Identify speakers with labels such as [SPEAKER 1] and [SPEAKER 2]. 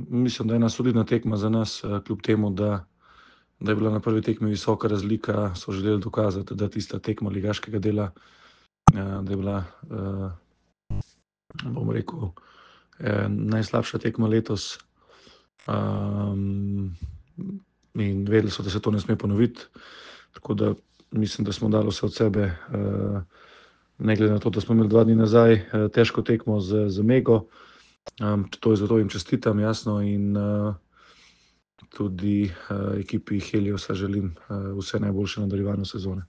[SPEAKER 1] Mislim, da je ena solidna tekma za nas, kljub temu, da je bila na prvi tekmi visoka razlika, so želeli dokazati, da tista tekma ligaškega dela, da je bila, bom rekel, najslabša tekma letos. In vedeli so, da se to ne sme ponoviti, tako da mislim, da smo dali vse od sebe, ne glede na to, da smo imeli 2 dni nazaj težko tekmo z Mego. Zato jim čestitam, jasno, in tudi ekipi Heliosa želim vse najboljše v nadaljevanju sezone.